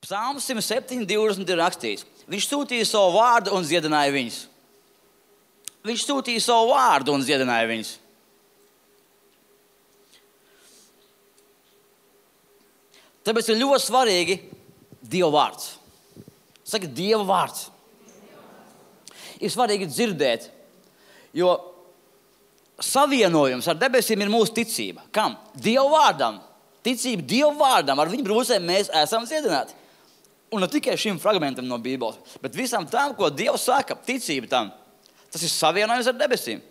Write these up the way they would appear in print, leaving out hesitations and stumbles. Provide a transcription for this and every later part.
Psalms 107:20 ir rakstīts. Viņš sūtīja savu vārdu un dziedināja viņus. Viņš sūtīja savu vārdu un dziedināja viņus. Tāpēc ir ļoti svarīgi Dieva vārds. Saka, Dieva vārds. Ir svarīgi dzirdēt, jo savienojums ar debesīm ir mūsu ticība. Kam? Dieva vārdam. Ticība Dieva vārdam. Ar viņu brūcēm mēs esam dziedināti. Un ne tikai šim fragmentam no Bībeles, bet visam tam, ko Dievs saka, ticība tam. Tas ir savienojums ar debesīm.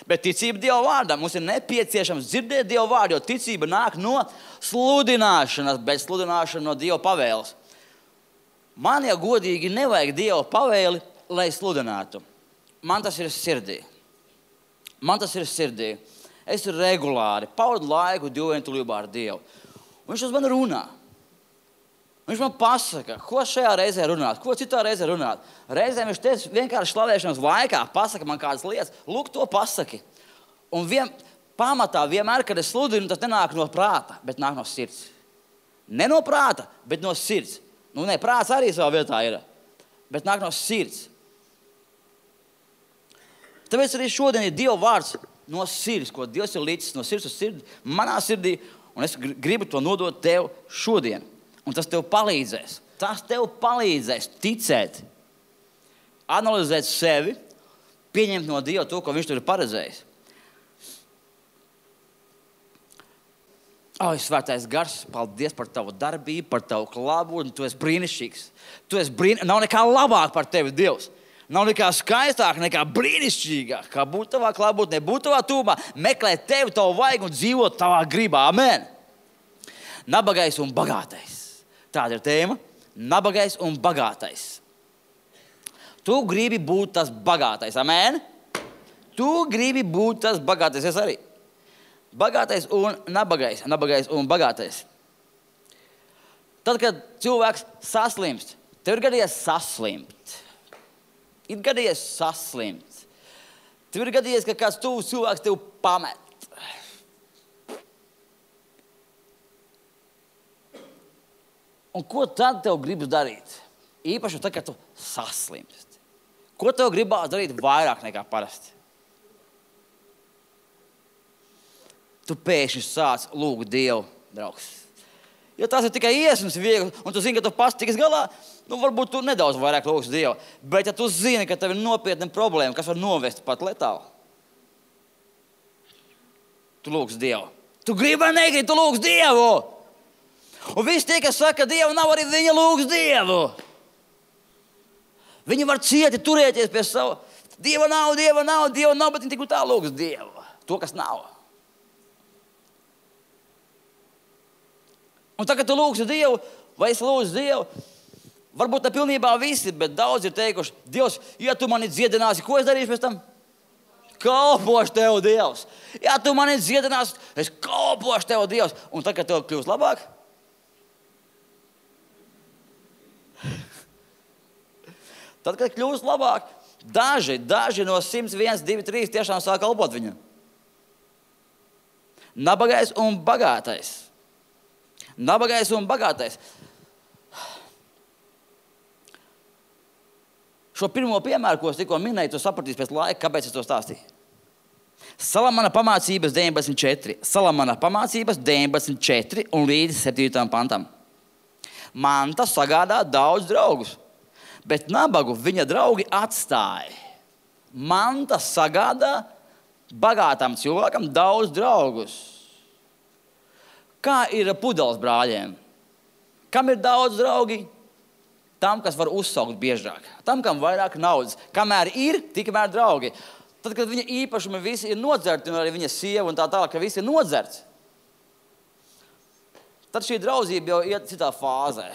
Bet ticība Dieva vārdam. Mums ir nepieciešams dzirdēt Dieva vārdu, jo ticība nāk no sludināšanas, bet sludināšana no Dieva pavēles. Man, ja godīgi, nevajag Dieva pavēli, lai sludinātu. Man tas ir sirdī. Es regulāri pavadu laiku dievvienotībā ar Dievu. Un viņš uz mani runā. Viņš man pasaka, ko šajā reizē runāt, ko citā reizē runāt. Reizēm viņš teica vienkārši slavēšanas laikā, pasaka man kādas lietas, lūk, to pasaki. Un pamatā vienmēr, kad es sludinu, tas nenāk no prāta, bet nāk no sirds. Ne no prāta, bet no sirds. Prāts arī savā vietā ir, bet nāk no sirds. Tāpēc arī šodien ir Dieva vārds no sirds, ko Dievs ir līdzis no sirds uz sirdi, manā sirdī, un es gribu to nodot tev šodien. Un tas tev palīdzēs. Tas tev palīdzēs ticēt, analizēt sevi, pieņemt no Dieva to, ko viņš tur ir paredzējis. Svētais Gars, paldies par tavu darbību, par tavu klātbūtni. Tu esi brīnišķīgs. Nav nekā labāk par tevi, Dievs. Nav nekā skaistāk, nekā brīnišķīgāk. Kā būt tavā klātbūtnē, būt tavā tūmā, meklēt tevi, tavu vajag un dzīvot tavā gribā. Amen. Nabagais un bagātais. Tāda ir tēma. Nabagais un bagātais. Tu gribi būt tas bagātais. Amen? Tu gribi būt tas bagātais. Es arī. Bagātais un nabagais. Nabagais un bagātais. Tad, kad cilvēks saslimst, tev ir gadījies saslimt. Ir gadījies saslimt. Tev ir gadījies, ka kāds tuvs cilvēks tev pamet. Un ko tad tev gribas darīt? Īpaši tad, kad tu saslimst. Ko tev gribās darīt vairāk nekā parasti? Tu pēkšņi sāc lūgt Dievu, draugs. Ja tas ir tikai iesmas viegli, un tu zini, ka tu pats tiks galā, varbūt tu nedaudz vairāk lūgsi Dievu. Bet ja tu zini, ka tev ir nopietna problēma, kas var novest pat letāli, tu lūgsi Dievu. Tu gribi vai negribi, tu lūgsi Dievu. Un visi tie, kas saka, ka Dievu nav, arī viņa lūgs Dievu. Viņi var cieti turēties pie sava. Dieva nav, bet viņi tik tā lūgs Dievu. To, kas nav. Un tagad tu lūgsi Dievu, vai es lūgsi Dievu, varbūt ne pilnībā visi, bet daudz ir teikuši, Dievs, ja tu mani dziedināsi, ko es darīšu pēc tam? Kalpošu tev, Dievs. Ja tu mani dziedināsi, es kalpošu tev, Dievs. Un tagad tev kļūst labāk? Tad, kad kļūst labāk, daži no 101, 2, 3 tiešām sāk kalpot viņam. Nabagais un bagātais. Nabagais un bagātais. Šo pirmo piemēru, ko es tikko minēju, tu sapratīsi pēc laika, kāpēc es to stāstīju. Salamana pamācības 19.4. Salamana pamācības 19.4 un līdz 7. pantam. Manta sagādā daudz draugus, bet nabagu viņa draugi atstāja. Manta sagādā bagātam cilvēkam daudz draugus. Kā ir ar pudeles brāļiem? Kam ir daudz draugi? Tam, kas var uzsaukt biežāk. Tam, kam vairāk naudas. Kamēr ir, tikmēr draugi. Tad, kad viņa īpašumi visi ir nodzerti, un arī viņa sieva un tā tālāk, ka visi ir nodzerts, tad šī draudzība jau iet citā fāzē.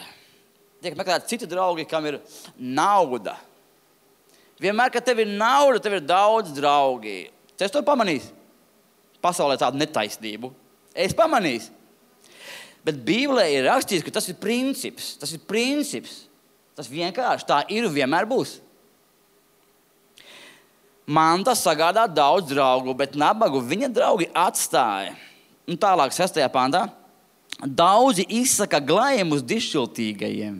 Tiek meklēt citi draugi, kam ir nauda. Vienmēr, kad tev ir nauda, tev ir daudz draugi. Es to pamanīju. Pasaulē tādu netaisnību. Es pamanīju. Bet Bībelē ir rakstīts, ka tas ir princips. Tas ir princips. Tas vienkārši tā ir un vienmēr būs. Manta sagādā daudz draugu, bet nabagu viņa draugi atstāja. Un tālāk 6. pantā. Daudzi izsaka glājumus dišķiltīgajiem,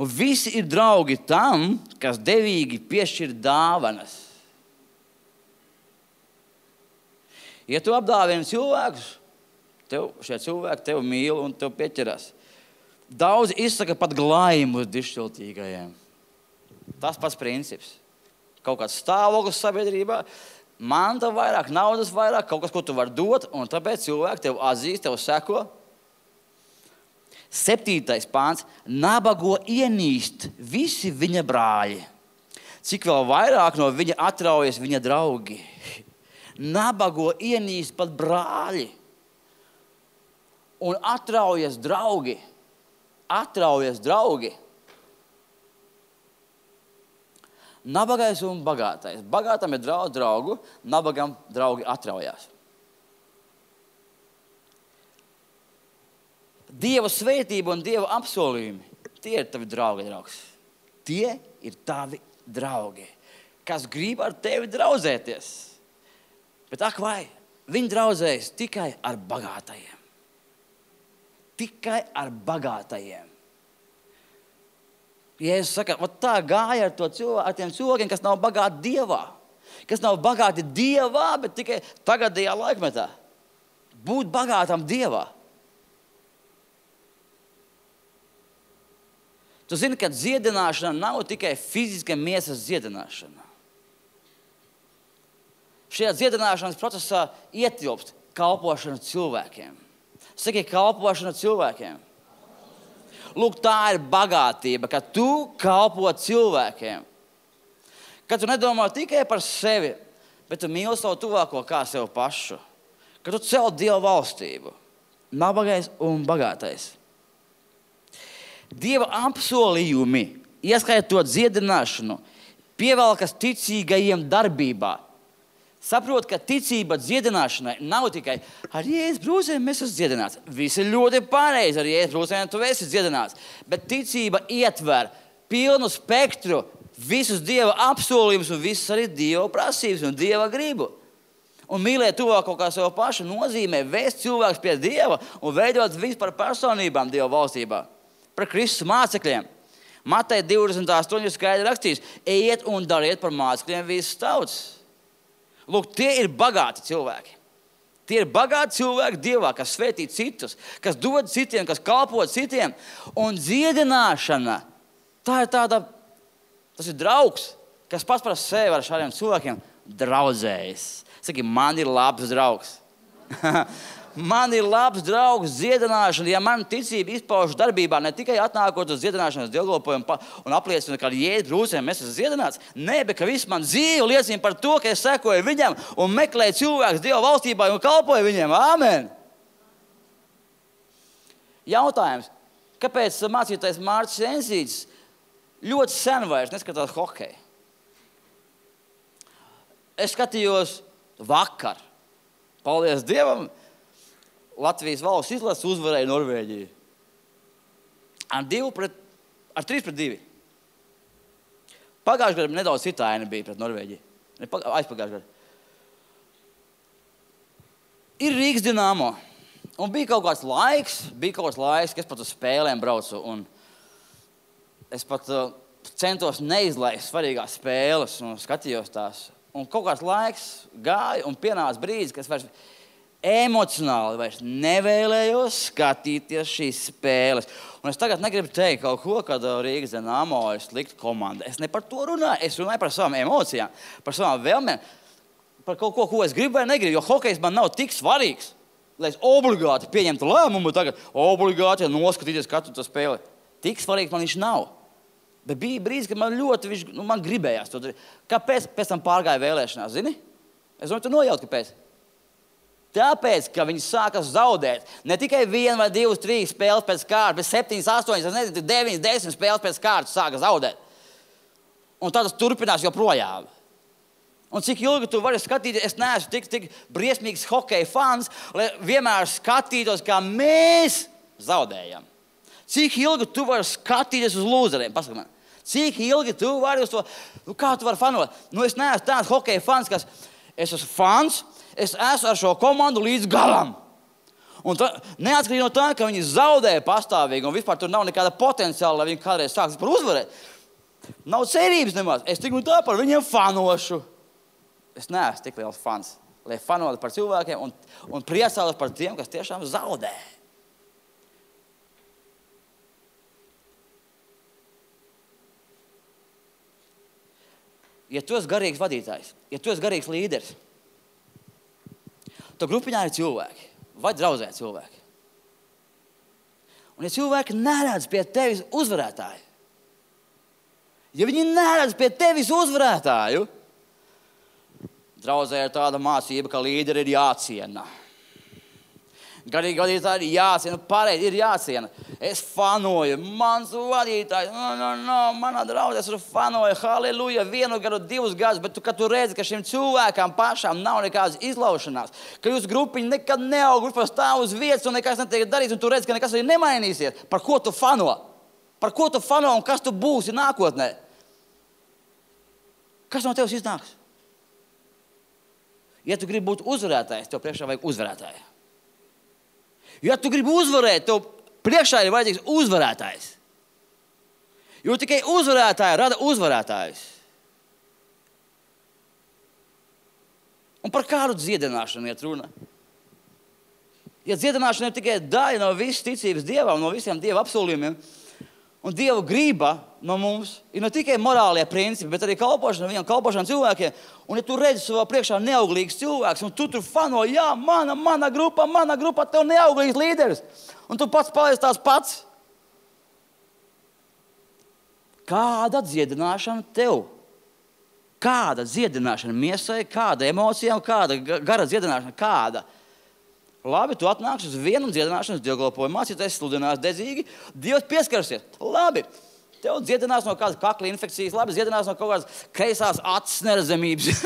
un visi ir draugi tam, kas devīgi piešķir dāvanas. Ja tu apdāvini cilvēkus, šie cilvēki tevi mīl un tev pieķerās. Daudzi izsaka pat glājumus dišķiltīgajiem. Tas pats princips. Kaut kāds stāvoklis sabiedrībā, manta vairāk, naudas vairāk, kaut kas, ko tu vari dot, un tāpēc cilvēki tev atzīst, tev seko. 7. pāns. Nabago ienīst visi viņa brāļi. Cik vēl vairāk no viņa atraujas viņa draugi. Nabago ienīst pat brāļi. Un atraujas draugi. Atraujas draugi. Nabagais un bagātais. Bagātam ir draugu, nabagam draugi atraujās. Dieva svētība un Dieva apsolījumi, tie ir tavi draugi, draugs. Tie ir tavi draugi, kas grib ar tevi draudzēties. Bet ak vai, viņi draudzējas tikai ar bagātajiem. Tikai ar bagātajiem. Jēzus saka, tā gāja ar tiem cilvēkiem, kas nav bagāti Dievā. Kas nav bagāti Dievā, bet tikai tagadējā laikmetā. Būt bagātam Dievā. Tu zini, ka dziedināšana nav tikai fiziska miesas dziedināšana. Šajā dziedināšanas procesā ietilpst kalpošana cilvēkiem. Saki, kalpošana cilvēkiem. Lūk, tā ir bagātība, ka tu kalpo cilvēkiem. Ka tu nedomā tikai par sevi, bet tu mīli savu tuvāko kā sev pašu. Ka tu cel Dieva valstību. Nabagais un bagātais. Dieva apsolījumi, ieskaitot dziedināšanu, pievelkas ticīgajiem darbībā. Saprot, ka ticība dziedināšanai nav tikai ar Jēzus brūcēm mēs esam dziedināts. Visi ļoti pareizi, ar Jēzus brūcēm tu esi dziedināts. Bet ticība ietver pilnu spektru, visus Dieva apsolījumus un visas arī Dieva prasības un Dieva gribu. Un mīlēt tuvāko kā sev pašu nozīmē vēst cilvēkus pie Dieva un veidot visu par personībām Dieva valstībā. Par Kristus mācekļiem. Mateja 28 skaidri rakstīts, ejiet un dariet par mācekļiem visas tautas. Lūk, tie ir bagāti cilvēki. Tie ir bagāti cilvēki Dievā, kas svētī citus, kas dod citiem, kas kalpo citiem. Un dziedināšana, tas ir draugs, kas pats par sevi ar šādiem cilvēkiem draudzējas. Saki, man ir labs draugs. Man ir labs draugs dziedināšana, ja man ticība izpauž darbībā, ne tikai atnākot uz dziedināšanas dievkalpojumu un apliecina, ka ar Jēzus brūcēm mēs esam dziedināts. Nē, bet ka viss man dzīve liecina par to, ka es sekoju viņam un meklēju cilvēkus Dieva valstībā un kalpoju viņiem. Āmen! Jautājums, kāpēc mācītājs Mārcis Ensītis ļoti sen vairs neskatās hokeju? Es skatījos vakar. Paldies Dievam! Latvijas valsts izlases uzvarēja Norvēģiju. Ar 3-2. Pagājušajā gadā nedaudz citāina bija pret Norvēģiju. Aizpagājušajā gadā. Ir Rīgas Dinamo. Un bija kaut kāds laiks, ka es pat uz spēlēm braucu. Un es pat centos neizlaist svarīgās spēles un skatījos tās. Un kaut kāds laiks gāja un pienāca brīdis, ka es vairs emocionāli vairs nevēlējos skatīties šīs spēles. Un es tagad negribu teikt kaut ko, kad Rīgas Dinamo ir slikta komanda. Es ne par to runāju, es runāju par savām emocijām, par savām vēlmēm, par kaut ko es gribu vai negribu, jo hokejs man nav tik svarīgs, lai es obligāti pieņemtu lēmumu tagad, obligāti noskatīties katru to spēli. Tik svarīgs man viņš nav. Bet bija brīdis, kad man ļoti, man gribējās to darīt. Kāpēc pēc tam pārgāja vēlēšanās, zini? Es domāju, tu nojaut, kāpēc? Tāpēc, ka viņi sākas zaudēt. Ne tikai 1 vai 2, 3 spēles pēc kārtas, bet 7, 8, 9, 10 spēles pēc kārtas sākas zaudēt. Un tad tas turpinās joprojām. Un cik ilgi tu vari skatīties, es neesmu tik briesmīgs hokeja fans, lai vienmēr skatītos, kā mēs zaudējam. Cik ilgi tu vari skatīties uz lūzeriem? Pasaka man. Cik ilgi tu vari uz to, kā tu vari fanot? Es neesmu tāds hokeja fans, kas es esmu fans, es esmu ar šo komandu līdz galam. Un neatkarīgi no tā, ka viņi zaudēja pastāvīgi un vispār tur nav nekāda potenciāla, lai viņi kādreiz sāks par uzvarēt. Nav cerības nemaz. Es tik un tā par viņiem fanošu. Es neesmu tik liels fans, lai fanotu par cilvēkiem un priecātos par tiem, kas tiešām zaudē. Ja tu esi garīgs vadītājs, ja tu esi garīgs līderis, tad grupiņā ir cilvēki, vai draudzē cilvēki. Un ja cilvēki neredz pie tevis uzvarētāju, ja viņi neredz pie tevis uzvarētāju, draudzē ir tāda mācība, ka līderi ir jāciena. Garīgi vadītāji ir jāciena, pareizi ir jāciena. Es fanoju, mans vadītājs, manā draudzē es fanoju, halleluja, 1 gadu, 2 gadus, bet kad tu redzi, ka šim cilvēkam pašām nav nekādas izlaušanās, ka jūsu grupiņa nekad neaug, vispār stāv uz vietas un nekas netiek darīts, un tu redzi, ka nekas arī nemainīsies. Par ko tu fano? Par ko tu fano un kas tu būsi nākotnē? Kas no tevis iznāks? Ja tu gribi būt uzvarētājs, tev priekšā vajag uzvarētāju. Ja tu gribi uzvarēt, tev priekšā ir vajadzīgs uzvarētājs. Jo tikai uzvarētāji rada uzvarētājus. Un par kādu dziedināšanu iet runa? Ja dziedināšana ir tikai daļa no visas ticības Dievam, no visiem Dieva apsolījumiem, un Dieva grība no mums ir ne tikai morālie principi, bet arī kalpošana viņam, kalpošana cilvēkiem. Un ja tu redzi savā priekšā neauglīgs cilvēks, un tu tur fano, jā, mana grupa, tev neauglīgs līderis. Un tu pats paliec tās pats. Kāda dziedināšana tev? Kāda dziedināšana miesai, kāda emocijām, kāda gara dziedināšana, kāda? Labi, tu atnāksi uz vienu dziedināšanas dievkalpojumu, mācīties sludinās dedzīgi, Dievs pieskarsies. Labi, tev dziedinās no kādas kakla infekcijas, labi, dziedinās no kaut kādas kreisās acis neredzamības,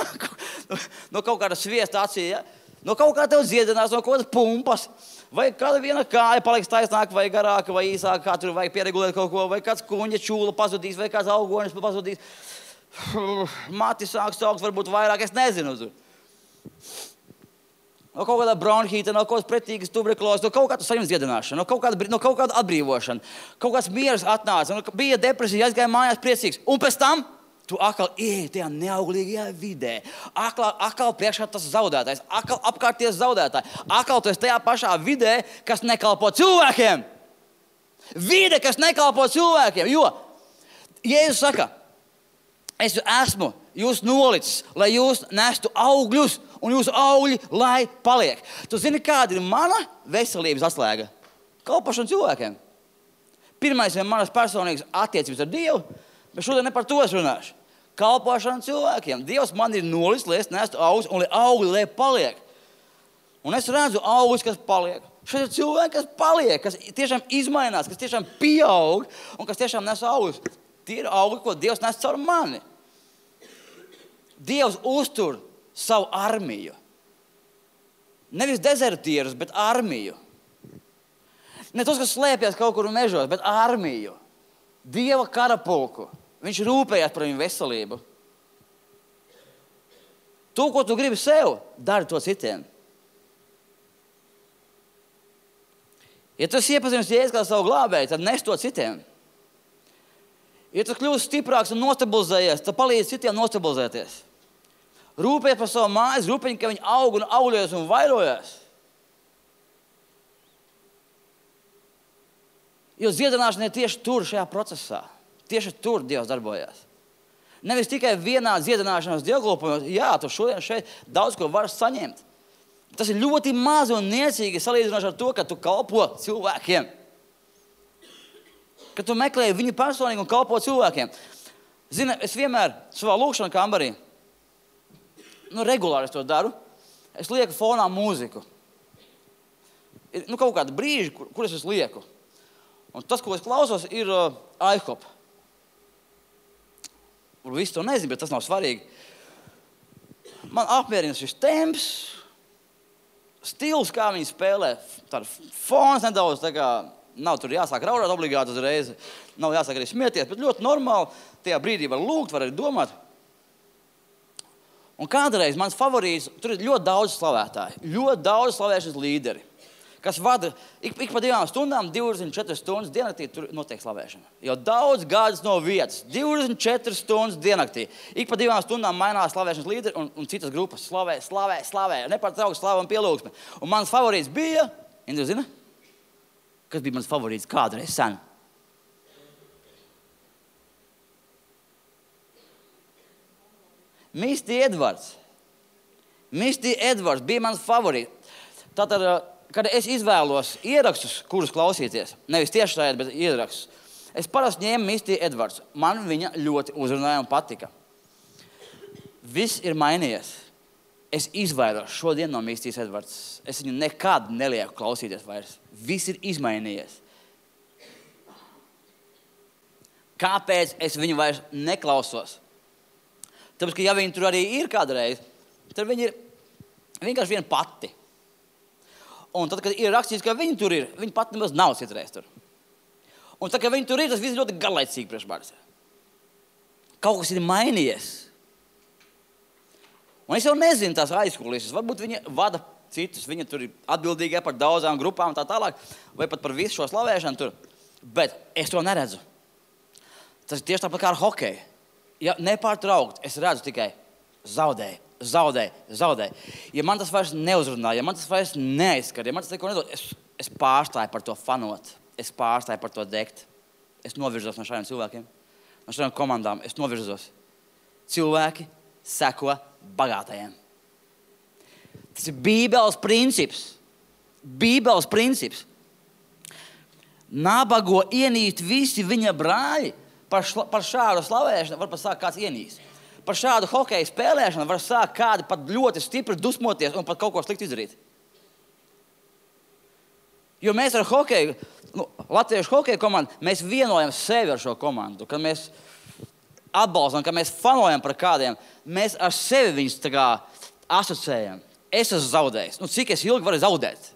no kaut kāda sviesta acī, ja? No kaut kā tev dziedinās, no kaut kādas pumpas, vai kāda viena kāja paliks taisnāka, vai garāka, vai īsāka, kā tur vajag pieregulēt kaut ko, vai kāds kuņa čūla pazudīs, vai kāds augonis pazudīs. Mati sāks augt, varbūt vairāk, es nezinu. No kaut kāda bronhīta, no kaut kādas pretīgas tuberkulozes, no kaut kāda saņems dziedināšana, no kaut kāda atbrīvošana, kaut kāds miers atnāca, bija depresija, aizgāja mājās priecīgs. Un pēc tam tu atkal ieej tajā neauglīgajā vidē. Atkal priekšā tas zaudētājs, atkal apkārties zaudētāji. Atkal tu esi tajā pašā vidē, kas nekalpo cilvēkiem. Vide, kas nekalpo cilvēkiem, jo Jēzus saka, es esmu jūs nolicis, lai jūs nestu augļus, un jūsu augļi, lai paliek. Tu zini, kāda ir mana veselības atslēga? Kalpošana cilvēkiem. Pirmais ir manas personīgas attiecības ar Dievu, bet šodien ne par to es runāšu. Kalpošana cilvēkiem. Dievs man ir nolicis, lai es nestu augļus, un lai augļi, lai paliek. Un es redzu augļus, kas paliek. Šeit ir cilvēki, kas paliek, kas tiešām izmainās, kas tiešām pieaug, un kas tiešām nes augļus. Tie ir augļi, ko Dievs nes caur mani. Dievs uztur savu armiju. Nevis dezertierus, bet armiju. Ne tos, kas slēpjas kaut kur mežos, bet armiju. Dieva karapulku. Viņš rūpējās par viņu veselību. To, ko tu gribi sev, dari to citiem. Ja tu iepazīsti Jēzu kā savu glābēju, tad nes to citiem. Ja tu kļūsi stiprāks un nostabilizējies, tad palīdzi citiem nostabilizēties. Rūpējies par savu mājas, rūpējies, ka viņi aug un augļojas un vairojas. Jo dziedināšana ir tieši tur šajā procesā. Tieši tur Dievs darbojās. Nevis tikai vienā dziedināšanas dievkalpojumā, jā, tu šodien šeit daudz ko vari saņemt. Tas ir ļoti mazi un niecīgi salīdzinoši ar to, ka tu kalpo cilvēkiem. Ka tu meklē viņu personīgi un kalpo cilvēkiem. Zini, es vienmēr savā lūkšanā kambarī, regulāri es to daru, es lieku fonā mūziku. Ir kaut kādi brīži, kur es lieku. Un tas, ko es klausos, ir IHOP. Visi to nezinu, bet tas nav svarīgi. Man apmierina šis temps, stils, kā viņi spēlē. Tāda fons nedaudz, tā kā nav tur jāsāk raudāt obligāti uzreiz. Nav jāsāk arī smieties, bet ļoti normāli. Tajā brīdī var lūgt, var arī domāt. Un kādreiz mans favorīts, tur ir ļoti daudz slavētāji. Ļoti daudz slavēšanas līderi. kas vada ik pa 2 stundām, 24 stundas diennaktī, tur notiek slavēšana. Jau daudz gadus no vietas, 24 stundas diennaktī. Ik pa 2 stundām mainās slavēšanas līderi un citas grupas slavē. Nepārtraukti slava un pielūgsme. Un mans favorīts bija, Indra zina? Kas bija mans favorīts kādreiz sen? Misty Edvards bija mans favorīts. Tātad, kad es izvēlos ierakstus, kurus klausīties, nevis tiešraidi, bet ierakstus, es parasti ņēmu Misty Edvards. Man viņa ļoti uzrunāja un patika. Viss ir mainījies. Es izvairos šodien no Misty Edvards. Es viņu nekad nelieku klausīties vairs. Viss ir izmainījies. Kāpēc es viņu vairs neklausos? Tāpēc, ka ja viņi tur arī ir kādreiz, tad viņi ir vienkārši viena pati. Un tad, kad ir rakstīts, ka viņi tur ir, viņi pat nemaz nav citreiz tur. Un tad, kad viņi tur ir, tas viss ļoti garlaicīgi priekš manis. Kaut kas ir mainījies. Un es jau nezinu tās aizkulisēs. Varbūt viņi vada citus, viņi tur ir atbildīgi par daudzām grupām un tā tālāk, vai pat par visu šo slavēšanu tur. Bet es to neredzu. Tas ir tieši tāpat kā ar hokeju. Ja nepārtraukt, es redzu tikai zaudēju. Ja man tas vairs neuzrunā, ja man tas vairs neizskar, ja man tas neko nedod, es pārstāju par to fanot. Es pārstāju par to degt. Es novirzos no šādiem cilvēkiem, no šādiem komandām. Es novirzos. Cilvēki seko bagātajiem. Tas ir Bībeles princips. Nabago ienīst visi viņa brāļi. Par šādu slavēšanu var pat sākt kāds ienīst. Par šādu hokeju spēlēšanu var sākt kādi pat ļoti stipri dusmoties un pat kaut ko slikti izdarīt. Jo mēs ar hokeju, latviešu hokeju komandu, mēs vienojam sevi ar šo komandu. Kad mēs atbalstam, kad mēs fanojam par kādiem, mēs ar sevi viņus tā kā asociējam. Es esmu zaudējis. Cik es ilgi varu zaudēt?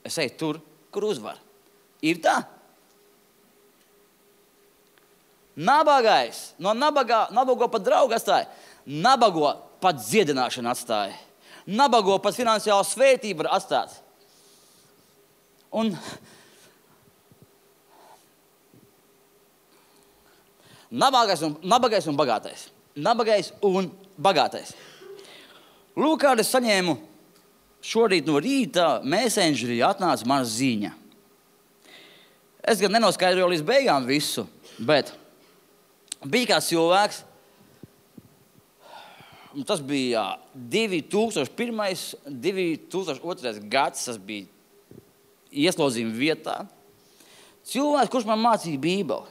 Es eju tur, kur uzvar. Ir tā? Nabagais, no nabago pat draugu atstāja, nabago pat dziedināšanu atstāja, nabago pat finansiālu svētību var atstāt. Un nabagais un bagātais. Nabagais un bagātais. Lūk, kādu es saņēmu šorīt no rīta messengerī atnāca mana ziņa. Es gan nenoskaidroju līdz beigām visu, bet bija kāds cilvēks, tas bija 2001. 2002. gads, tas bija ieslodzījuma vietā. Cilvēks, kurš man mācīja Bībeli.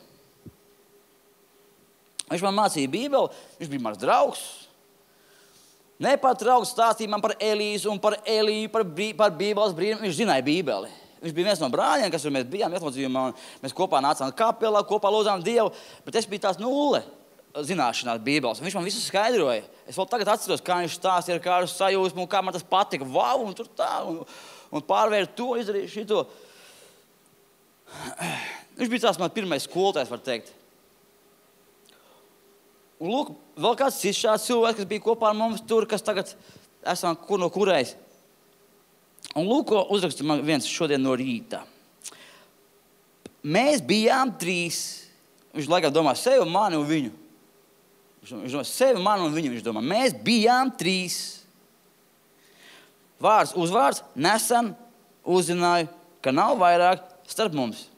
Viņš man mācīja Bībeli, viņš bija mans draugs. Nepārtraukti stāstīja man par Elīzu un par Eliju, par Bībeles brīnumu. Viņš zināja Bībeli. Viņš bija viens no brāļiem, kas mēs bijām ieslodzījumā, un mēs kopā nācām kapelā, kopā lūdzām Dievu, bet es biju tās nulle zināšanās Bībeles. Viņš man visu skaidroja. Es vēl tagad atceros, kā viņš stāstīja ar kādu sajūsmu, un kā man tas patika. Vau, un tur tā, un pārvērt to, izdarīju šito. Viņš bija tās man pirmais skolotājs, var teikt. Un lūk, vēl kāds cits šāds cilvēks, kas bija kopā ar mums tur, kas tagad esam no kurais. Un lūk, ko uzraksta man viens šodien no rīta. Mēs bijām 3. Viņš laikam domā sevi, mani un viņu. Viņš domā sevi, mani un viņu. Viņš domā, mēs bijām 3. Vārds, uzvārds, nesen uzzināju, ka nav vairāk starp mums.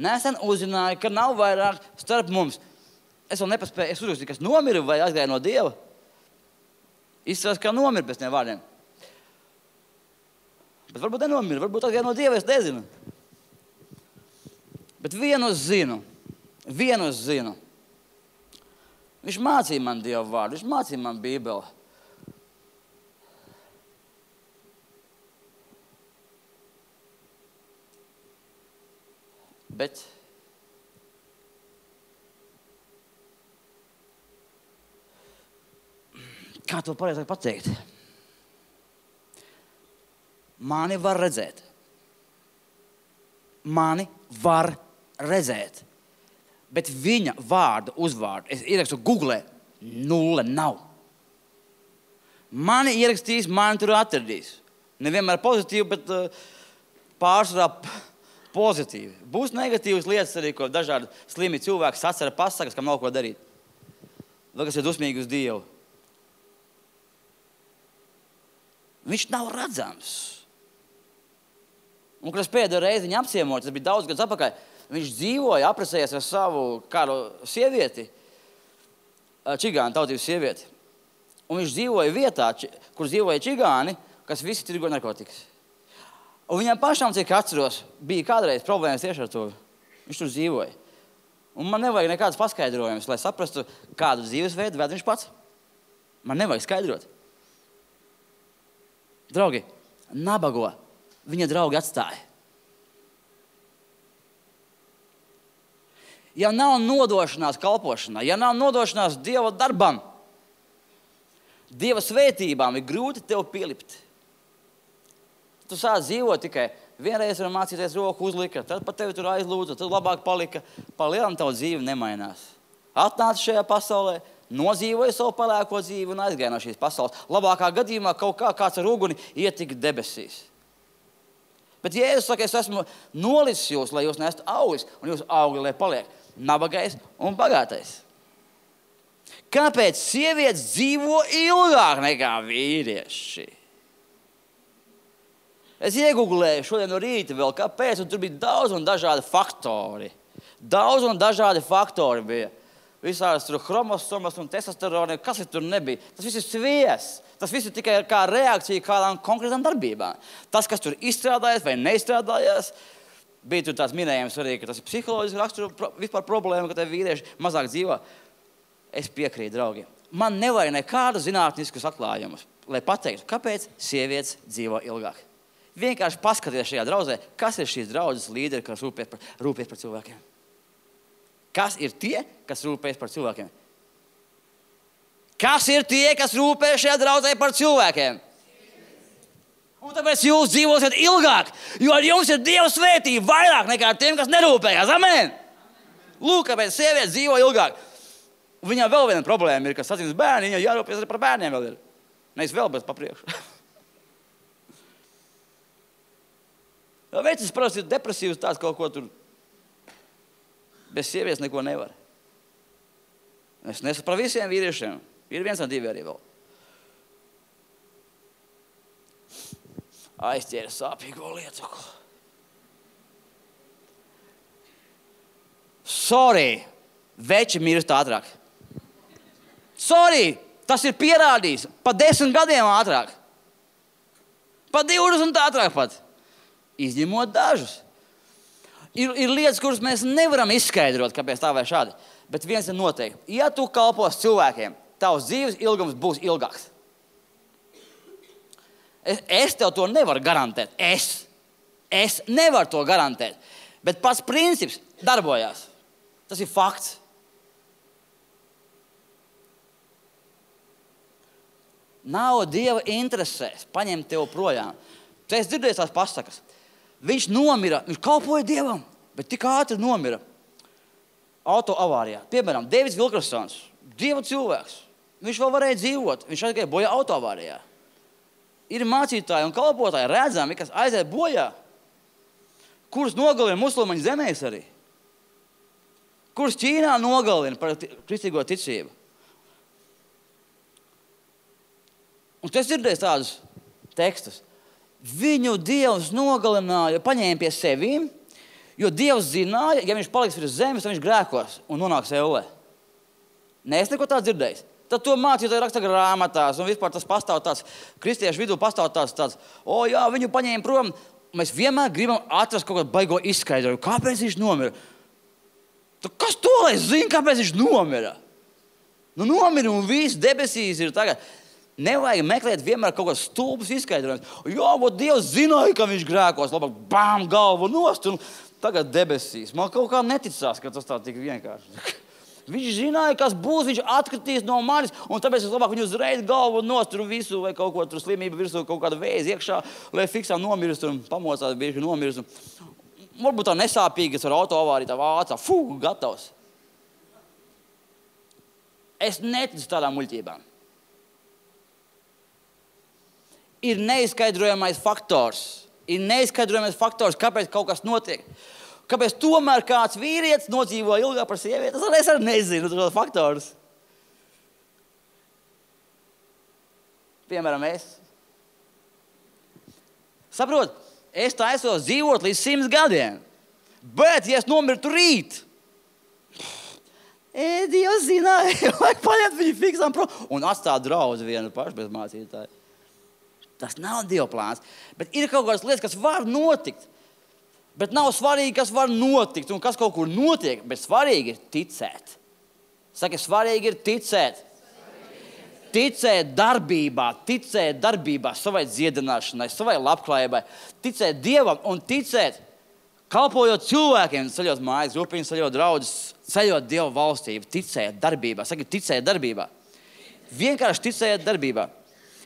Nesen uzzināju, ka nav vairāk starp mums. Es vēl nepaspēju, es uzrakstīju, kas nomira vai aizgāja no Dieva. Izskatās, kā nomira pēc tiem vārdiem. Bet varbūt nenomira, varbūt aizgāja no Dieva, es nezinu. Bet vienu zinu. Viņš mācīja man Dieva vārdu, viņš mācīja man Bībeli. Bet kā to pareizāk pateikt? Mani var redzēt. Bet viņa vārdu, uzvārdu, es ierakstu Googlē, 0 nav. Mani ierakstīs, mani tur atradīs. Nevienmēr pozitīvi, bet pārsvarā pozitīvi. Būs negatīvas lietas arī, ko dažādi slimi cilvēki sacera pasakas, kam nav ko darīt. Vai kas ir dusmīgi uz Dievu. Viņš nav redzams. Un, kad es pēdējo reizi viņu apciemoju, tas bija daudz gadus atpakaļ, viņš dzīvoja, aprecējies ar savu kādu sievieti, čigānu tautības sievieti. Un viņš dzīvoja vietā, kur dzīvoja čigāni, kas visi tirgo narkotikas. Un viņam pašām, cik atceros, bija kādreiz problēmas tieši ar to. Viņš tur dzīvoja. Un man nevajag nekādas paskaidrojumus, lai saprastu, kādu dzīvesveidu ved viņš pats. Man nevajag skaidrot. Draugi, nabago viņa draugi atstāja. Ja nav nodošanās kalpošanā, ja nav nodošanās Dieva darbam, Dieva svētībām ir grūti tev pielipt. Tu sāc dzīvot tikai vienreiz var mācīties roku uzlika, tad pat tevi tur aizlūdza, tad labāk palika. Palielam tavu dzīvi nemainās. Atnāca šajā pasaulē, nodzīvoja savu palēko dzīvi un aizgāja no šīs pasaules. Labākā gadījumā kaut kāds ar uguni ietika debesīs. Bet Jēzus saka, es esmu nolicis jūs, lai jūs neesat auglis, un jūs augli, lai paliek nabagais un bagātais. Kāpēc sievietes dzīvo ilgāk nekā vīrieši? Es iegūglēju šodien no rīta vēl, kāpēc, un tur bija daudz un dažādi faktori. Daudz un dažādi faktori bija. Visādas tur chromosomas un testosteroni, kas tur nebija. Tas viss ir sviests. Tas viss ir tikai kā reakcija kādām konkrētām darbībām. Tas, kas tur izstrādājas vai neizstrādājas, bija tur tāds minējums arī, ka tas ir psiholoģiski raksturo vispār problēma, ka te vīrieši mazāk dzīvo. Es piekrītu, draugi. Man nevajag nekādu zinātniskus atklājumus, lai pateiktu, kāpēc sievietes dzīvo ilgāk. Vienkārši paskaties šajā draudzē, kas ir šīs draudzes līderi, kas rūpēs par cilvēkiem. Kas ir tie, kas rūpēs par cilvēkiem? Kas ir tie, kas rūpēs šajā draudzē par cilvēkiem? Un tāpēc jūs dzīvosiet ilgāk, jo ar jums ir Dieva svētība vairāk nekā tiem, kas nerūpējās. Amen! Lūk, kāpēc sievietes dzīvo ilgāk. Un viņām vēl viena problēma ir, ka sadzimis bērni, viņai jārūpēs arī par bērniem vēl ir. Nevis vēl, bet papriekšu. Veicis parasti ir depresīvs tāds kaut ko tur. Bez sievietes neko nevar. Es nesu par visiem vīriešiem. Ir viens un divi arī vēl. Aizķēra sāpīgo lietu. Sorry, veči mirst ātrāk. Sorry, tas ir pierādījis. Pa 10 gadiem ātrāk. Pa 20 ātrāk pat. Izņemot dažus. Ir lietas, kuras mēs nevaram izskaidrot, kāpēc tā vai šādi. Bet viens ir noteikti. Ja tu kalpos cilvēkiem, tavs dzīves ilgums būs ilgāks. Es tev to nevaru garantēt. Es nevaru to garantēt. Bet pats princips darbojās. Tas ir fakts. Nav Dieva interesēs paņemt tev projām. Tu esi dzirdējis tās pasakas. Viņš nomira, viņš kalpoja Dievam, bet tik ātri nomira auto avārijā. Piemēram, Deivids Vilkersons, Dieva cilvēks. Viņš vēl varēja dzīvot, viņš aizgāja bojā auto avārijā. Ir mācītāji un kalpotāji redzami, kas aiziet bojā, kurus nogalina musulmaņu zemēs arī. Kurus Ķīnā nogalina par kristīgo ticību. Un tu esi dzirdējis tādus tekstus. Viņu Dievs nogalināja, paņēma pie sevīm, jo Dievs zināja, ja viņš paliks virs zemes, tad viņš grēkos un nonāks ellē. Nē, es neko tādu dzirdējis. Tad to mācītāji raksta grāmatās, un vispār tas pastāv tāds, kristiešu vidū pastāv tāds, jā, viņu paņēma prom. Mēs vienmēr gribam atrast kaut kādu baigo izskaidrojumu. Kāpēc viņš nomira? Kas to lai zina, kāpēc viņš nomira? Nu, nomira un viss debesīs ir tagad. Nevajag meklēt vienmēr kaut kāds stulbs izskaidrojums. Jā, Dievs zināja, ka viņš grēkos. Labāk, bām, galvu nost un tagad debesīs. Man kaut kā neticās, ka tas tā tik vienkārši. Viņš zināja, kas būs, viņš atkritīs no manis, un tāpēc es labāk viņu uzreiz galvu nost un visu, vai kaut ko tur slimību virsū, kaut kādu vēzi iekšā, lai fiksām nomirst un pamocās, bieži nomirst. Varbūt tā nesāpīgi, kas ar auto avāriju tā vācā. Gatavs. Es neticu tādām muļķībām. ir neizskaidrojamais faktors. Ir neizskaidrojamais faktors, kāpēc kaut kas notiek. Kāpēc tomēr kāds vīrietis nodzīvo ilgāk par sievieti? Es arī nezinu, tas ir faktors. Piemēram, es. Saprot, es taisos dzīvot līdz 100 gadiem. Bet, ja es nomirtu rīt, Dievs zināja, vajag paņemt viņu fiksām prom un atstāt draudzi vienu pašu bez mācītāju. Tas nav Dieva plāns. Bet ir kaut kādas lietas, kas var notikt. Bet nav svarīgi, kas var notikt un kas kaut kur notiek. Bet svarīgi ir ticēt. Saki, svarīgi ir ticēt. Ticēt darbībā, savai dziedināšanai, savai labklājībai. Ticēt Dievam un ticēt, kalpojot cilvēkiem, ceļot mājas, grupiņas, ceļot draudzes, ceļot Dieva valstību. Ticēt darbībā. Saki, ticēt darbībā. Vienkārši ticēt darbībā.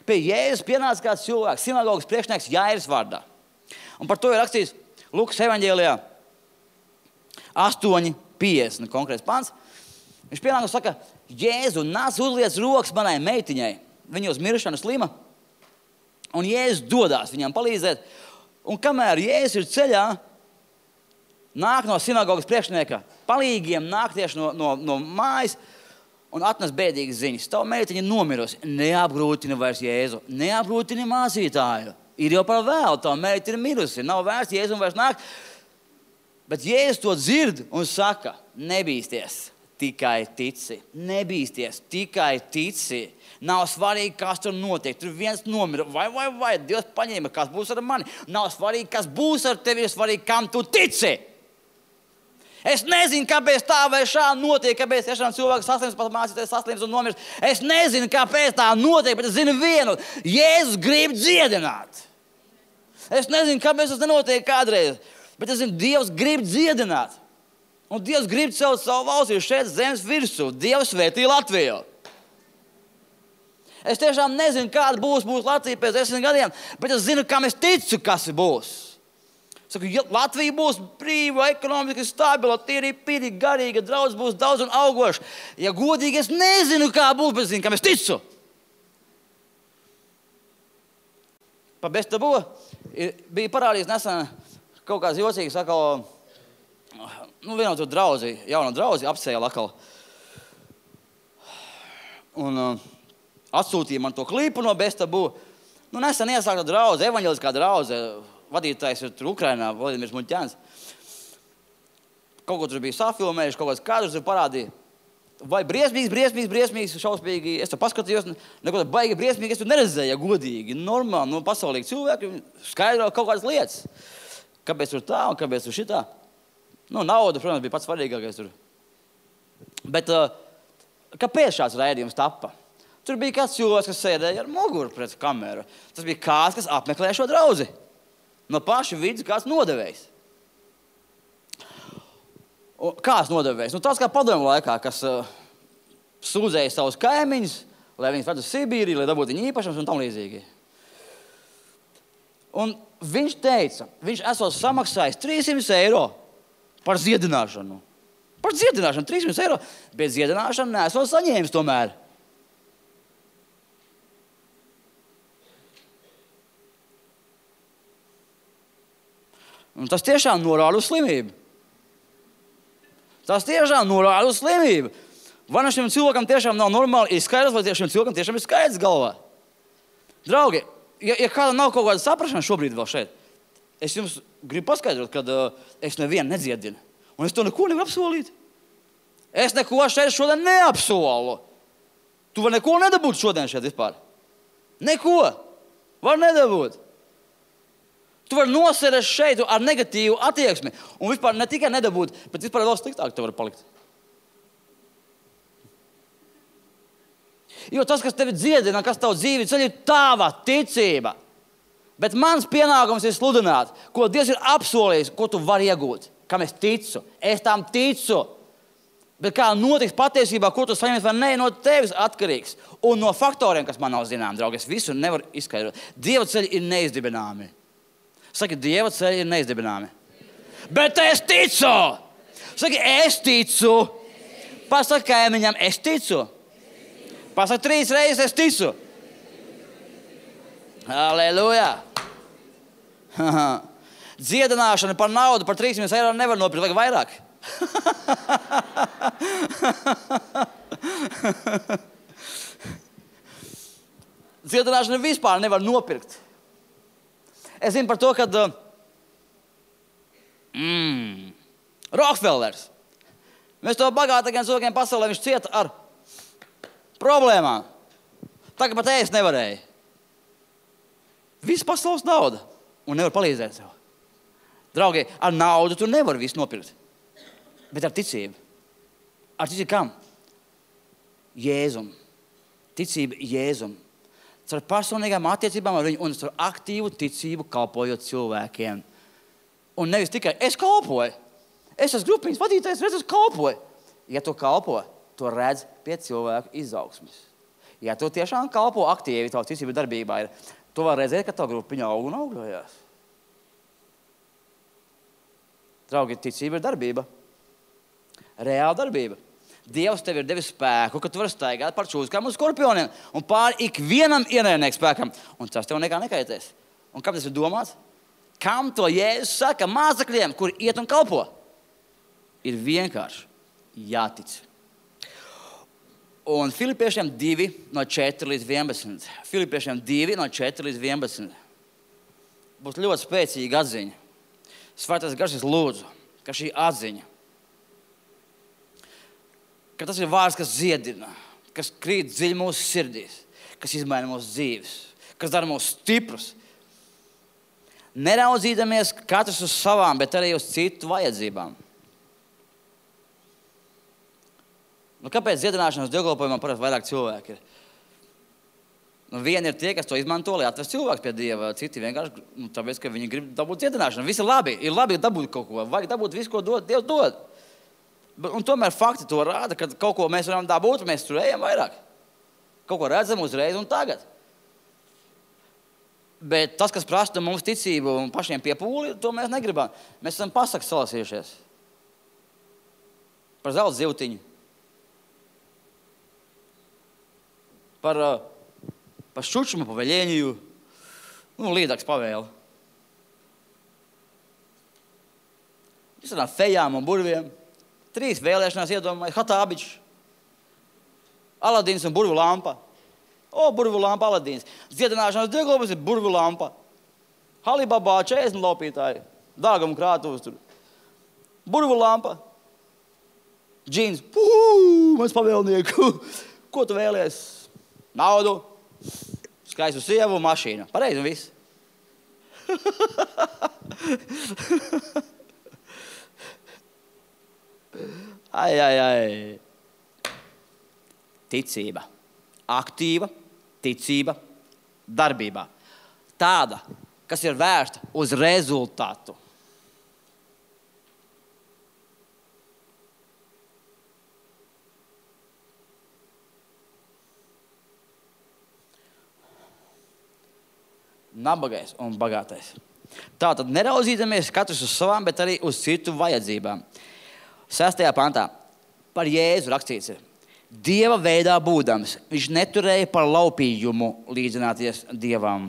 Pie Jēzus pienāca kāds cilvēks, sinagogas priekšnieks Jairs vārdā. Un par to ir rakstīts Lukas evaņģēlijā 8:50 konkrēts pants. Viņš pienāk un saka, Jēzu, nāc uzliec rokas manai meitiņai. Viņa uz miršanu slima. Un Jēzus dodās viņam palīdzēt. Un kamēr Jēzus ir ceļā, nāk no sinagogas priekšnieka palīgiem, nāk tieši no mājas un atnes bēdīgas ziņas. Tava meitiņa nomirusi. Neapgrūtini vairs Jēzu. Neapgrūtini mācītāju. Ir jau par vēlu. Tava meita ir mirusi. Nav vērts Jēzu vairs nāk. Bet Jēzus to dzird un saka, nebīsties, tikai tici. Nebīsties, tikai tici. Nav svarīgi, kas tur notiek. Tur viens nomira. Vai. Dievs paņēma, kas būs ar mani. Nav svarīgi, kas būs ar tevi. Ir svarīgi, kam tu tici. Es nezinu, kāpēc tā vai šā notiek, kāpēc tiešām cilvēks saslims, pat mācītājs saslims un nomirst. Es nezinu, kāpēc tā notiek, bet es zinu vienu. Jēzus grib dziedināt. Es nezinu, kāpēc tas nenotiek kādreiz, bet es zinu, Dievs grib dziedināt. Un Dievs grib celt savu valstību šeit zemes virsū. Dievs svētī Latviju. Es tiešām nezinu, kāda būs Latvija pēc 10 gadiem, bet es zinu, kam es ticu, kas būs. Saku, ja Latvija būs brīva, ekonomiski stabila, tīri, garīga, draudz būs daudz un augoša. Ja godīgi, es nezinu, kā būs, bet zinu, kam es ticu. Pa Bestabo bija parādījis nesen kaut kāds jocīgs, atkal, vienotu draudzi, jaunu draudzi apsēja atkal. Un atsūtīja man to klipu no Bestabo. Nesen iesākta draudze, evaņģeliskā draudze. Vadītājs ir tur Ukrainā, Vladimirs Muļķēns. Kaut ko tur bija safilmējuši, kaut kāds kadrus tur parādīja. Vai briesmīgs, šausmīgi. Es tur paskatījos, neko tā baigi briesmīgi, es tur neredzēju, ja godīgi. Normāli, pasaulīgi cilvēki skaidro kaut kādas lietas. Kāpēc tur tā un kāpēc tur šitā? Nauda, protams, bija pats svarīgākais tur. Bet kāpēc šāds raidījums tappa? Tur bija kāds cilvēks, kas sēdēja ar muguru pret kameru. Tas bija kāds, kas apmeklē šo draudzi. No paša vidus kāds nodevējs. Kāds nodevējs? Tas kā padomju laikā, kas sūdzēja savus kaimiņus, lai viņus ved uz Sibīriju, lai dabūtu viņu īpašums un tam līdzīgi. Un viņš teica, viņš esot samaksājis 300 eiro par ziedināšanu. Par ziedināšanu 300 eiro, bet ziedināšanu neesot saņēmis tomēr. Un tas tiešām norāda uz slimību. Vai no šim cilvēkam tiešām nav normāli izskaidrs, vai šim cilvēkam tiešām ir skaidrs galvā? Draugi, ja kāda nav kaut kāda saprašana šobrīd vēl šeit, es jums gribu paskaidrot, ka es nevienu nedziedinu. Un es to neko nevaru apsolīt. Es neko šeit šodien neapsolu. Tu var neko nedabūt šodien šeit vispār. Neko. Var nedabūt. Tu vari nosēdēt šeit ar negatīvu attieksmi un vispār ne tikai nedabūt, bet vispār vēl sliktāk tev var palikt. Jo tas, kas tevi dziedina, kas tavu dzīvi ceļ, ir tava ticība. Bet mans pienākums ir sludināt, ko Dievs ir apsolījis, ko tu vari iegūt, kam es ticu. Es tam ticu. Bet kā notiks patiesībā, ko tu saņems vai ne, no tevis atkarīgs. Un no faktoriem, kas man nav zinām, draugi, es visu nevaru izskaidrot. Dieva ceļi ir neizdibināmi. Saki, Dieva ceļi ir neizdibināmi. Bet es ticu! Saki, es ticu! Pasaki kaimiņam, es ticu! Pasaki 3 reizes, es ticu! Halleluja! Dziedināšana par naudu, par 300 eiro nevar nopirkt, vajag vairāk. Dziedināšana vispār nevar nopirkt. Es zinu par to, kad Rokefellers, mēs to bagātākajiem cilvēkiem pasaulē, viņš cieta ar problēmām. Tā kā pat ēst nevarēja. Viss pasaules nauda un nevar palīdzēt sev. Draugi, ar naudu tu nevar visu nopirkt, bet ar ticību. Ar ticību kam? Jēzum. Ticība Jēzum. Ar personīgām attiecībām ar viņu un ar aktīvu ticību kalpojot cilvēkiem. Un nevis tikai es kalpoju. Es esmu grupiņas vadītājs, redz, es kalpoju. Ja tu kalpo, to redz pie cilvēku izaugsmes. Ja tu tiešām kalpo aktīvi, tavu ticību darbībā ir, tu var redzēt, ka tavu grupiņa aug un augļojās. Draugi, ticība ir darbība. Reāla darbība. Dievs tev ir devis spēku, ka tu vari staigāt par čūskām un skorpioniem un pāri ikvienam ienaidnieku spēkam. Un tas tev nekā nekaitēs. Un kam tas ir domāts? Kam to Jēzus saka mācekļiem, kuri iet un kalpo? Ir vienkārši jātic. Un Filipiešiem 2 no 4 līdz 11. Filipiešiem 2 no 4 līdz 11. Būs ļoti spēcīga atziņa. Svētais Gars lūdzu, ka šī atziņa, ka tas ir vārds, kas dziedina, kas krīt dziļi mūsu sirdīs, kas izmaina mūsu dzīves, kas dara mūs stiprus. Neraudzīdamies katrs uz savām, bet arī uz citu vajadzībām. Kāpēc dziedināšanas dievkalpojumā parasti vairāk cilvēki ir? Vieni ir tie, kas to izmanto, lai atvest cilvēks pie Dieva, citi vienkārši, tāpēc, ka viņi grib dabūt dziedināšanu. Viss ir labi dabūt kaut ko, vajag dabūt visu, ko Dievs dod. Un tomēr fakti to rāda, ka kaut ko mēs varam dabūt, mēs tur ejam vairāk. Kaut ko redzam uzreiz un tagad. Bet tas, kas prasa mums ticību un pašiem piepūli, to mēs negribam. Mēs esam pasakas salasījušies. Par zelta zivtiņu. Par šučumu, par veļēņiju. Līdāks pavēli. Visādām fejām un burviem. 3 vēlēšanās iedomājas. Hatābičs, Aladīns un burvu lampa. Burvu lampa, Aladīns. Dziedināšanas dievkalpojums ir burvu lampa. Halibabā 40 laupītāji. Dārgumu krātuvs tur. Burvu lampa. Džins. Mans pavēlnieku. Ko tu vēlies? Naudu. Skaistu sievu, mašīnu. Pareizi un viss. Ai. Ticība. Aktīva ticība darbībā. Tāda, kas ir vērsta uz rezultātu. Nabagais un bagātais. Tātad neraudzīdamies katrs uz savām, bet arī uz citu vajadzībām. 6. pantā par Jēzu rakstīts ir: Dieva veidā būdams, viņš neturēja par laupījumu līdzināties Dievam,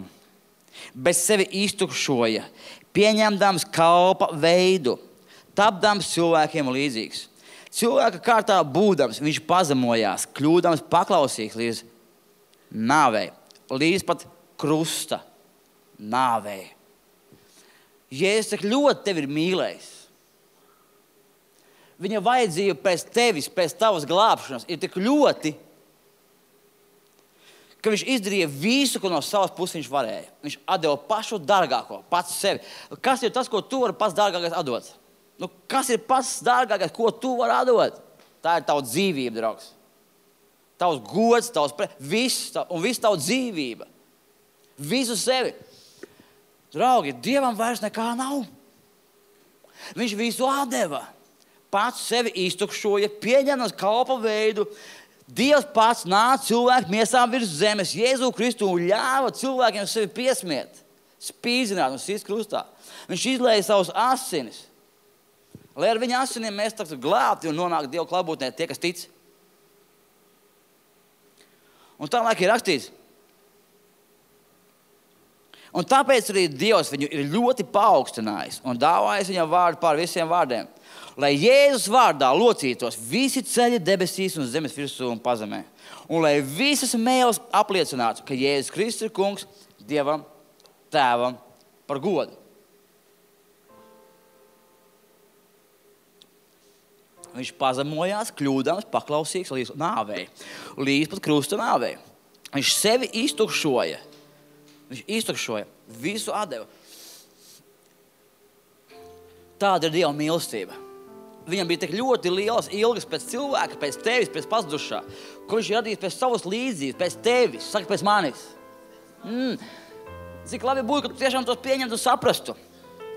bet sevi iztukšoja, pieņemdams kalpa veidu, tapdams cilvēkiem līdzīgs. Cilvēka kārtā būdams, viņš pazemojās, kļūdams paklausīgs līdz nāvei, līdz pat krusta nāvei. Jēzus tik ļoti tevi ir mīlējis. Viņa vajadzība pēc tevis, pēc tavas glābšanas ir tik ļoti, ka viņš izdarīja visu, ko no savas puses viņš varēja. Viņš atdeva pašu dārgāko, pats sevi. Kas ir tas, ko tu vari pats dārgākais atdot? Kas ir pats dārgākais, ko tu vari atdot? Tā ir tava dzīvība, draugs. Tavs gods, viss tava dzīvība. Visu sevi. Draugi, Dievam vairs nekā nav. Viņš visu atdeva. Pats sevi iztukšoja, pieņemams kalpa veidu. Dievs pats nāca cilvēku miesām virs zemes, Jēzu Kristu, un ļāva cilvēkiem sevi piesmiet, spīdzināt un sist krustā. Viņš izlēja savus asinis, lai ar viņa asinīm mēs tagad glābti un nonāktu Dievu klātbūtnē tie, kas tic. Un tālāk ir rakstīts: Un tāpēc arī Dievs viņu ir ļoti paaugstinājis un dāvājis viņam vārdu pār visiem vārdiem. Lai Jēzus vārdā locītos visi ceļi debesīs un zemes virsū un pazemē. Un lai visas mēles apliecinātu, ka Jēzus Kristus ir kungs Dievam, Tēvam par godu. Viņš pazemojās, kļūdams, paklausīgs līdz nāvei. Līdz pat krusta nāvei. Viņš sevi iztukšoja. Viņš iztukšoja, visu atdeva. Tāda ir Dieva mīlestība. Viņam bija tik ļoti liels ilgas pēc cilvēka, pēc tevis, pēc pazudušā, kur viņš ir radījis pēc savas līdzības, pēc tevis, saka pēc manis. Cik labi būtu, ka tu tiešām tos pieņemtu un saprastu.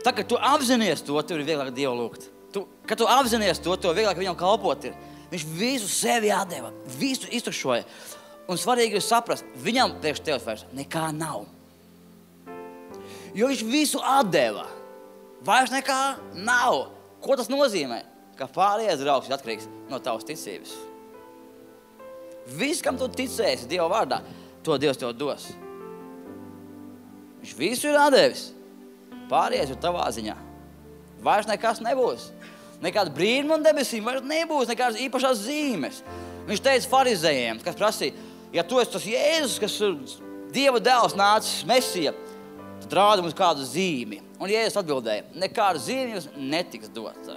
Tā, ka tu apzinies to, tev ir vieglāk Dievu lūgt. Kad tu apzinies to, tev vieglāk viņam kalpot ir. Viņš visu sevi atdeva, visu iztukšoja. Un svarīgi ir saprast, viņam priekš tevis vairs nekā nav. Jo viņš visu atdeva. Vairs nekā nav. Ko tas nozīmē? Ka pārējais draugs ir atkarīgs no tavas ticības. Viss, kam tu ticēsi Dieva vārdā, to Dievs tev dos. Viņš visu ir atdevis. Pārējais ir tavā ziņā. Vairs nekas nebūs. Nekāda brīnuma un debesīm vairs nebūs, nekādas īpašās zīmes. Viņš teica farizējiem, kas prasīja, ja tu esi tas Jēzus, kas ir Dieva dēls nācis, Mesija, tad rāda mums kādu zīmi. Un Jēzus atbildēja, nekāda zīme jums netiks dota.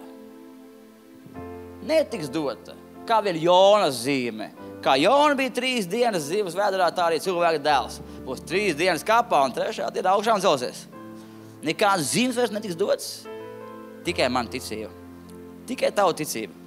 Netiks dota. Kā vien Jonas zīme. Kā Jona bija 3 dienas zivs vēderā, tā arī cilvēka dēls. Būs 3 dienas kapā un 3. dienā augšām celsies. Nekādas zīmes vairs netiks dotas. Tikai man ticība. Tikai tavu ticība.